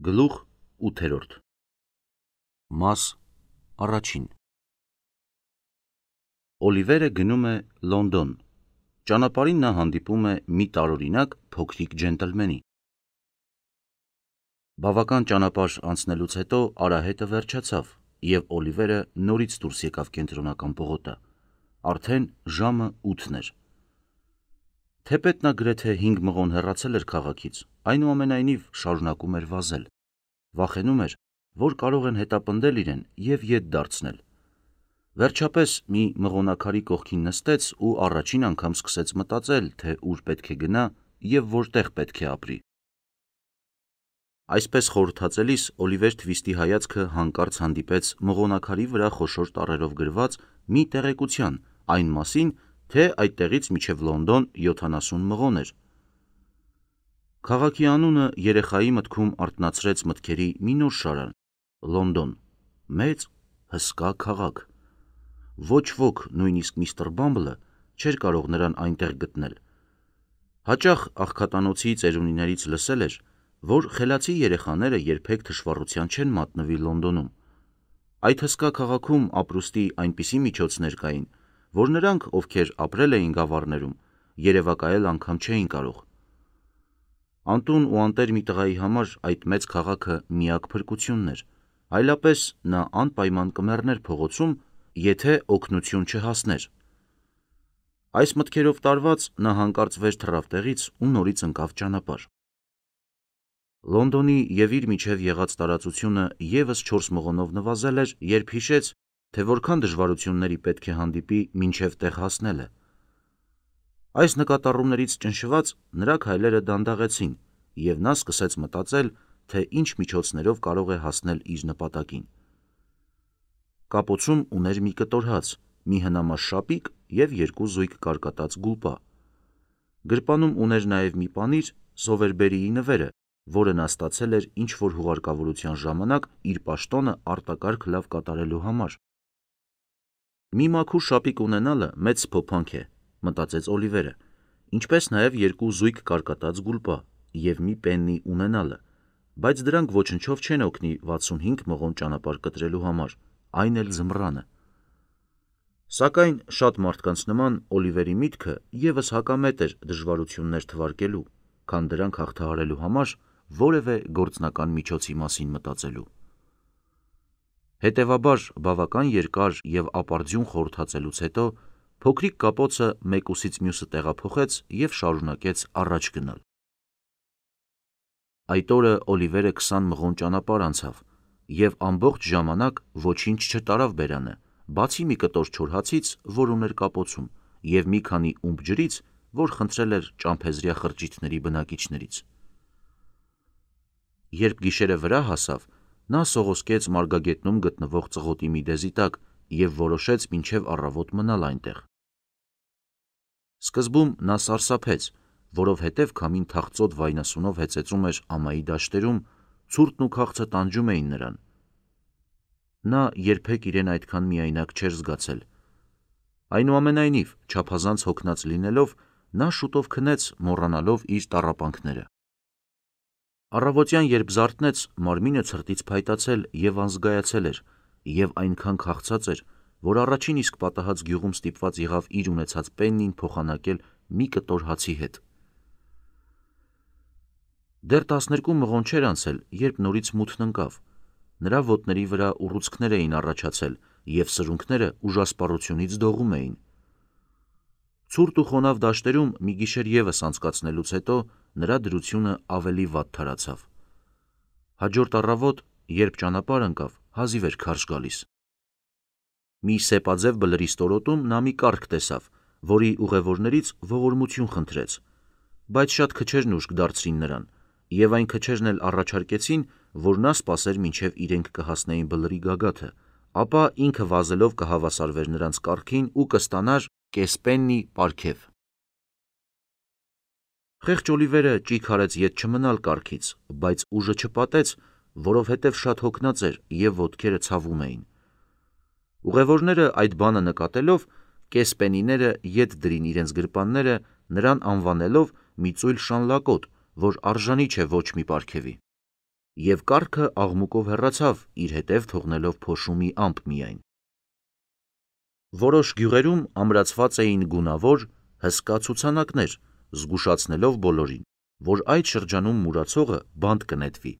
Գլուխ 8 Մաս առաջին Օլիվերը գնում է Լոնդոն։ Ճանապարհին նա հանդիպում է մի տարօրինակ փոքրիկ ջենտլմենի։ Բավական ճանապարհ անցնելուց հետո արահետը վերջացավ, և Օլիվերը նորից դուրս եկավ կենտրոնական պողոտա։ Արդեն ժամը 8 էր։ Թեպետ նա գրեթե 5 մղոն հեռացել էր քաղաքից, այնուամենայնիվ շարունակում էր վազել։ Վախենում էր, որ կարող են հետապնդել իրեն և ետ դարձնել։ Վերջապես մի մղոնակարի կողքին նստեց ու առաջին անգամ սկսեց մտածել, թե ուր պետք է գնա և որտեղ պետք է ապրի։ Այսպես խորհրդածելիս Օլիվեր Թվիստի հայացքը հանկարծ հանդիպեց մղոնակարի վրա խոշոր տառերով գրված մի տեղեկության այն մասին, թե այդտեղից մինչև Լոնդոն 70 մղոն էր։ Քաղաքի անունը երեխայի մտքում արթնացրեց մտքերի մի նոր շարան՝ Լոնդոն, մեծ, հսկա քաղաք։ Ոչ ոք, նույնիսկ միստր Բամբլը, չէր կարող նրան այնտեղ գտնել։ Հաճախ աղքատանոցի ծերունիներից լսել էր, որ խելացի երեխաները երբեք թշվառության չեն մատնվի Լոնդոնում։ Այդ հսկա քաղաքում ապրուստի այնպիսի միջոցներ կային, որ նրանք, ովքեր ապրել էին գավառներում, երևակայել անգամ չէին կարող։ Անտուն ու անտեր մի տղայի համար այդ մեծ քաղաքը միակ փրկությունն էր, այլապես նա անպայման կմեռներ փողոցում, եթե օգնություն չհասներ։ Այս մտքերով տարված նա հանկարծ վեր թռավ տեղից ու նորից ընկավ ճանապարհ։ Լոնդոնի և իր միջև եղած տարածությունը ևս 4 մղոնով նվազել էր, երբ հիշեց, թե որքան դժվարությունների պետք է հանդիպի մինչև տեղ հասնելը։ Այս նկատառումներից ճնշված նրա քայլերը դանդաղեցին, և նա սկսեց մտածել, թե ինչ միջոցներով կարող է հասնել իր նպատակին։ Կապոցում ուներ մի կտոր հաց, մի հնամաշ շապիկ և 2 զույգ կարկատած գուլպա։ Գրպանում ուներ նաև մի պանիր Սովերբերիի նվերը, որը նա ստացել էր ինչ-որ հուղարկավորության ժամանակ իր պաշտոնը արտակարգ լավ կատարելու համար։ «Մի մաքուր շապիկ ունենալը մեծ սփոփանք է», մտածեց Օլիվերը, ինչպես նաև 2 զույգ կարկատած գուլպա և մի պեննի ունենալը, բայց դրանք ոչնչով չեն օգնի 65 մղոն ճանապարհ կտրելու համար, այն էլ ձմռանը։ Սակայն շատ մարդկանց նման Օլիվերի միտքը ևս հակամետ էր դժվարություններ թվարկելու, քան դրանք հաղթահարելու համար որևէ գործնական միջոցի մասին մտածելու։ Հետևաբար, բավական երկար և ապարդյուն խորհրդածելուց հետո փոքրիկ կապոցը մեկուսից մյուսը տեղափոխեց և շարունակեց առաջ գնալ։ Այդ օրը Օլիվերը 20 մղոն ճանապարհ անցավ և ամբողջ ժամանակ ոչինչ չտարավ բերանը, բացի մի կտոր չոր հացից, որ ուներ կապոցում, և մի քանի ումպ ջրից, որ խնդրել էր ճամփեզրյա խրճիթների բնակիչներից։ Երբ գիշերը վրա հասավ, նա սողոսկեց մարգագետնում գտնվող ծղոտի մի դեզի տակ և որոշեց մինչև առավոտ մնալ այնտեղ։ Սկզբում նա սարսափեց, որովհետև քամին թախծոտ վայնասունով հեծեծում էր ամայի դաշտերում, ցուրտն ու քաղցը տանջում էին նրան։ Նա երբեք իրեն այդքան միայնակ չէր զգացել։ Այնուամենայնիվ, չափազանց հոգնած լինելով, նա շուտով քնեց, մոռանալով իր տառապանքները։ Առավոտյան, երբ զարթնեց, մարմինը ցրտից փայտացել և անզգայացել էր, և այնքան քաղցած էր, որ առաջին իսկ պատահած գյուղում ստիպված եղավ իր ունեցած պեննին փոխանակել մի կտոր հացի հետ։ Դեռ 12 մղոն չէր անցել, երբ նորից մութն ընկավ։ Նրա ոտների վրա ուռուցքներ էին առաջացել, և սրունքները ուժասպառությունից դողում էին։ Ցուրտ ու խոնավ դաշտերում մի գիշեր ևս անցկացնելուց հետո նրա դրությունը ավելի վատ թարացավ։ Հաջորդ առավոտ, երբ ճանապարհ ընկավ, հազիվ էր քարշ գալիս։ Մի սեպաձև բլրի ստորոտում նա մի կառք տեսավ, որի ուղևորներից ողորմություն խնդրեց, բայց շատ քչերն ուշք դարձրին նրան, և այն քչերն էլ առաջարկեցին, որ նա սպասեր մինչև իրենք կհասնեին բլրի գագաթը, ապա ինքը վազելով կհավասարվեր նրանց կառքին ու կստանար կես պեննի պարգև։ Խեղճ Օլիվերը ճիգ արեց ետ չմնալ կառքից, բայց ուժը չպատեց, որովհետև շատ հոգնած էր և ոտքերը ցավում էին։ Ուղևորները այդ բանը նկատելով, կես պենիները ետ դրին իրենց գրպանները, նրան անվանելով մի ծույլ շանլակոտ, որ արժանի չէ ոչ մի պարգևի։ Եվ կառքը աղմուկով հեռացավ, իր հետև թողնելով փոշու մի ամպ միայն։ Որոշ գյուղերում ամրացված էին գունավոր, հսկա ցուցանակներ, զգուշացնելով բոլորին, որ այդ շրջանում մուրացողը բանտ կնետվի։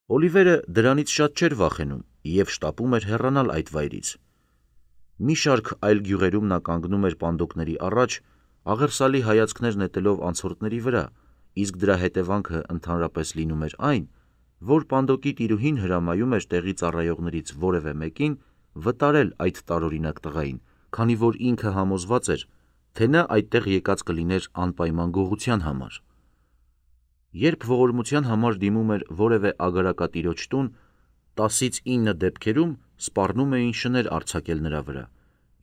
Օլիվերը դրանից շատ չէր վախենում և շտապում էր հեռանալ այդ վայրից։ Մի շարք այլ գյուղերում նա կանգնում էր պանդոկների առաջ, աղերսալի հայացքներ նետելով անցորդների վրա, իսկ դրա հետևանքը ընդհանրապես լինում էր այն, որ պանդոկի տիրուհին հրամայում էր տեղի ծառայողներից որևէ մեկին վտարել այդ տարօրինակ տղային, քանի որ ինքը համոզված էր, թե նա այդտեղ եկած կլիներ անպայման գողության համար։ Երբ ողորմության համար դիմում էր որևէ ագարակատիրոջ տուն, 10-ից 9 դեպքերում սպառնում էին շներ արձակել նրա վրա,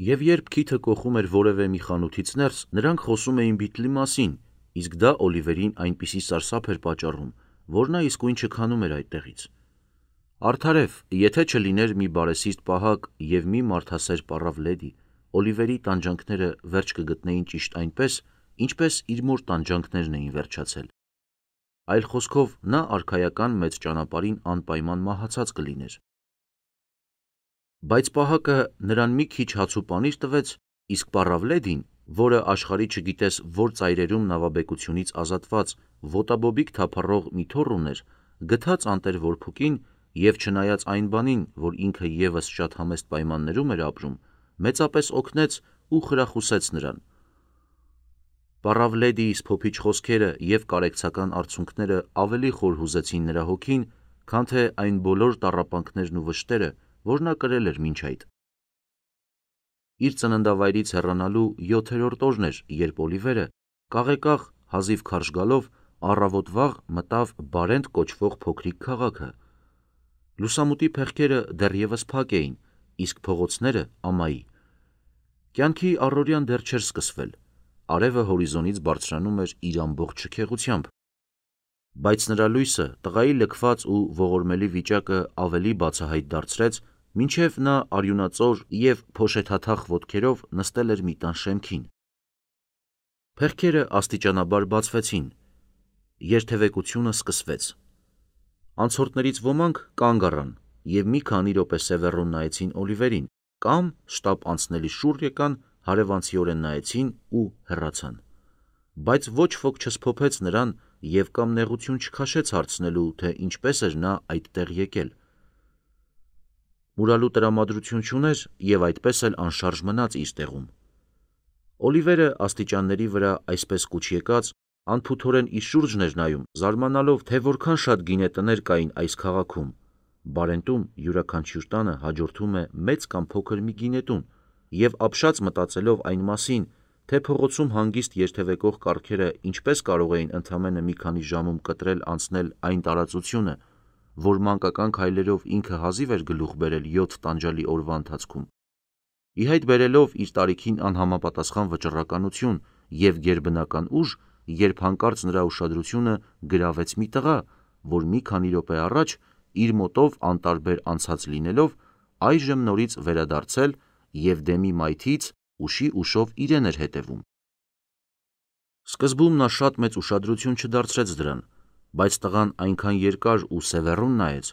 և երբ քիթը կոխում էր որևէ մի խանութից ներս, նրանք խոսում էին Բիթլի մասին, իսկ դա Օլիվերին այնպիսի սարսափ էր պատճառում, որ նա իսկույն չքանում էր այդտեղից։ Արդարև, եթե չլիներ մի բարեսիրտ պահակ և մի մարդասեր պառավ լեդի, Օլիվերի տանջանքները վերջ կգտնեին ճիշտ այնպես, ինչպես իր մոր տանջանքներն էին վերջացել։ Այլ խոսքով, նա արքայական մեծ ճանապարհին անպայման մահացած կլիներ։ Բայց պահակը նրան մի քիչ հաց ու պանիր տվեց, իսկ պառավ լեդին, որը աշխարհի չգիտես որ ծայրերում նավաբեկությունից ազատված ոտաբոբիկ թափառող մի թոռ ուներ, գթած անտեր որփուկին և չնայած այն բանին, որ ինքը ևս շատ համեստ պայմաններում էր ապրում, մեծապես օգնեց ու խրախուսեց նրան։ Պառավ լեդիի սփոփիչ խոսքերը և կարեկցական արցունքները ավելի խոր հուզեցին նրա հոգին, քան թե այն բոլոր տառապանքներն ու վշտերը, որ նա կրել էր մինչ այդ։ Իր ծննդավայրից հեռանալու 7-րդ օրն էր, երբ Օլիվերը, կաղեկաղ, հազիվ քարշ գալով, առավոտ վաղ մտավ Բարենտ կոչվող փոքրիկ քաղաքը։ Լուսամուտի փեղկերը դեռևս փակ էին, իսկ փողոցները՝ ամայի։ Կյանքի առօրյան դեռ չէր սկսվել, արևը հորիզոնից բարձրանում էր իր ամբողջ շքեղությամբ։ Բայց նրա լույսը տղայի լքված ու ողորմելի վիճակը ավելի բացահայտ դարձրեց, մինչև նա արյունածոր և փոշեթաթախ ոտքերով նստել էր մի տան շեմքին։ Փեղկերը աստիճանաբար բացվեցին, երթևեկությունը սկսվեց։ Անցորդներից ոմանք կանգ առան և մի քանի րոպե սևեռուն նայեցին Օլիվերին, կամ շտապ անցնելիս շուռ եկան, հարևանցիորեն նայեցին ու հեռացան։ Բայց ոչ ոք չսփոփեց նրան և կամ նեղություն չքաշեց հարցնելու, թե ինչպես էր նա այդտեղ եկել։ Մուրալու տրամադրություն չուներ և այդպես էլ անշարժ մնաց իր տեղում։ Օլիվերը աստիճանների վրա այսպես կուչ եկած, անփութորեն իր շուրջն էր նայում, զարմանալով, թե որքան շատ գինետներ կային այս քաղաքում։ Բարենտում յուրաքանչյուր տանը հաջորդում է մեծ կամ փոքր մի գինետուն, և ապշած մտածելով այն մասին, թե փողոցում հանգիստ երթևեկող կառքերը ինչպես կարող էին ընդամենը մի քանի ժամում կտրել անցնել այն տարածությունը, որ մանկական քայլերով ինքը հազիվ էր գլուխ բերել 7 տանջալի օրվա ընթացքում, ի հայտ բերելով իր տարիքին անհամապատասխան վճռականություն և գերբնական ուժ, երբ հանկարծ նրա ուշադրությունը գրավեց մի տղա, որ մի քանի րոպե առաջ իր մոտով անտարբեր անցած լինելով, այժմ նորից վերադարձել և դեմի մայթից ուշի ուշով իրեն էր հետևում։ Սկզբում նա շատ մեծ ուշադրություն չդարձրեց դրան, բայց տղան այնքան երկար ու սևեռուն նայեց,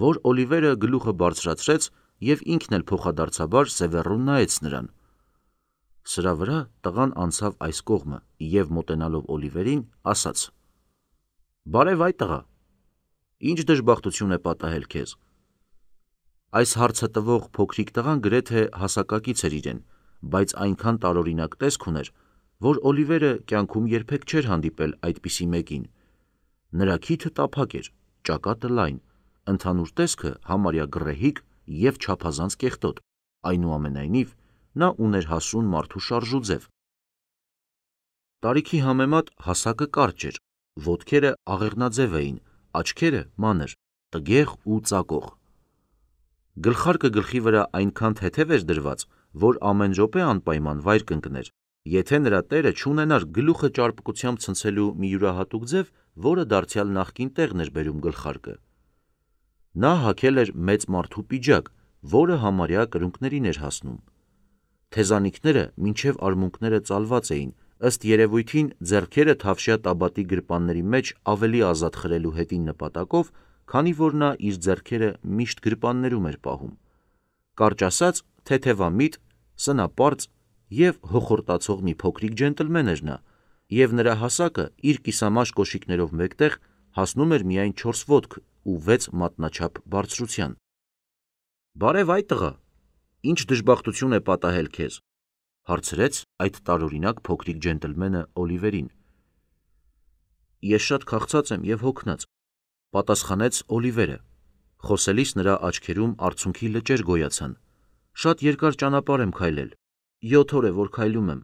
որ Օլիվերը գլուխը բարձրացրեց և ինքն էլ փոխադարձաբար սևեռուն նայեց նրան։ Սրա վրա տղան անցավ այս կողմը և մոտենալով Օլիվերին, ասաց. «Բարև այ տղա, ինչ դժբախտություն է պատահել քեզ»։ Այս հարցը տվող փոքրիկ տղան գրեթե հասակակից էր իրեն, բայց այնքան տարօրինակ տեսք ուներ, որ Օլիվերը կյանքում երբեք չէր հանդիպել այդպիսի մեկին։ Նրա քիթը տափակ էր, ճակատը լայն, ընդհանուր տեսքը համարյա գռեհիկ և չափազանց կեղտոտ, այնուամենայնիվ նա ուներ հասուն մարդու շարժուձև։ Տարիքի համեմատ հասակը կարճ էր, ոտքերը աղեղնաձև էին, աչքերը՝ մանր, տգեղ ու ծակող։ Գլխարկը գլխի վրա այնքան թեթև էր դրված, որ ամեն րոպե անպայման վայր կընկներ, եթե նրա տերը չունենար գլուխը ճարպկությամբ ցնցելու մի յուրահատուկ ձև, որը դարձյալ նախկին տեղն էր բերում գլխարկը։ Նա հագել էր մեծ մարդու պիջակ, որը համարյա կրունկներին էր հասնում։ Թեզանիքները մինչև արմունկները ծալված էին, ըստ երևույթին ձեռքերը թավշյա տաբատի գրպանների մեջ ավելի ազատ խրելու հետին նպատակով, քանի որ նա իր ձեռքերը միշտ գրպաններում էր պահում։ Կարճ ասած, թեթևամիտ, սնապարծ և հոխորտացող մի փոքրիկ ջենտլմեն էր նա, և նրա հասակը իր կիսամաշ կոշիկներով մեկտեղ հասնում էր միայն 4 ոտք ու 6 մատնաչափ բարձրության։ «Բարև այ տղա, ինչ դժբախտություն է պատահել քեզ», հարցրեց այդ տարօրինակ փոքրիկ ջենտլմենը Օլիվերին։ «Ես շատ քաղցած եմ և հոգնած», պատասխանեց Օլիվերը։ Խոսելիս նրա աչքերում արցունքի լճեր գոյացան։ «Շատ երկար ճանապարհ եմ քայլել, 7 օր է, որ քայլում եմ»։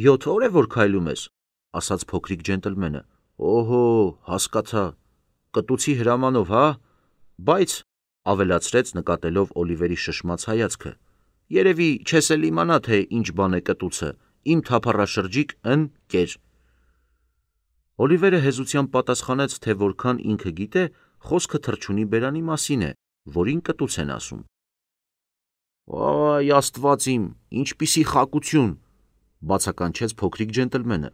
7 օր է, որ քայլում ես, ասաց փոքրիկ ջենտլմենը։ Օհո, հասկացա, կտուցի հրամանով, հա՞։ Բայց, ավելացրեց նկատելով Օլիվերի շշմած հայացքը, երևի չես էլ իմանա, թե ինչ բան է կտուցը, իմ թափառաշրջիկ ընկեր։ Օլիվերը հեզությամբ պատասխանեց, թե որքան ինքը գիտե, խոսքը թռչունի բերանի մասին է, որին կտուց են ասում։ Այ աստված իմ, ինչպիսի խակություն, բացականչեց փոքրիկ ջենտլմենը։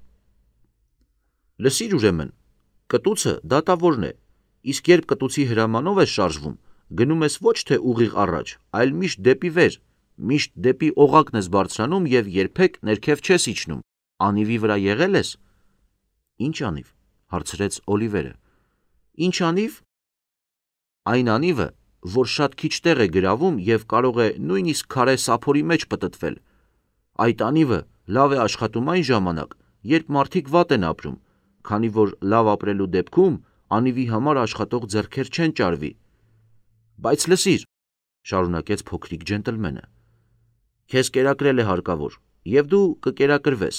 Լսիր ուրեմն, կտուցը դատավորն է, իսկ երբ կտուցի հրամանով ես շարժվում, գնում ես ոչ թե ուղիղ առաջ, այլ միշտ դեպի վեր, միշտ դեպի օղակն ես բարձրանում և երբեք ներքև չես իջնում։ Անիվի վրա եղել ես։ Ինչ անիվ, հարցրեց Օլիվերը։ Ինչ անիվ։ Այն անիվը, որ շատ քիչ տեղ է գրավում և կարող է նույնիսկ քարե սափորի մեջ պտտվել։ Այդ անիվը լավ է աշխատում այն ժամանակ, երբ մարդիկ վատ են ապրում, քանի որ լավ ապրելու դեպքում անիվի համար աշխատող ձեռքեր չեն ճարվի։ Բայց լսիր, շարունակեց փոքրիկ ջենտլմենը, քեզ կերակրել է հարկավոր, և դու կկերակրվես։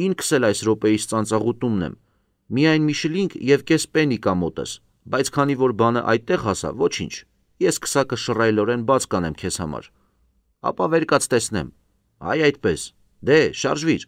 Ինքս էլ այս րոպեիս ծանծաղուտումն եմ, միայն մի շլինգ և կես պենի կա մոտս, բայց քանի որ բանը այդտեղ հասավ, ոչինչ, ես քսակը շռայլորեն բաց կանեմ քեզ համար։ Ապա վեր կաց տեսնեմ, այ այդպես, դե շարժվիր։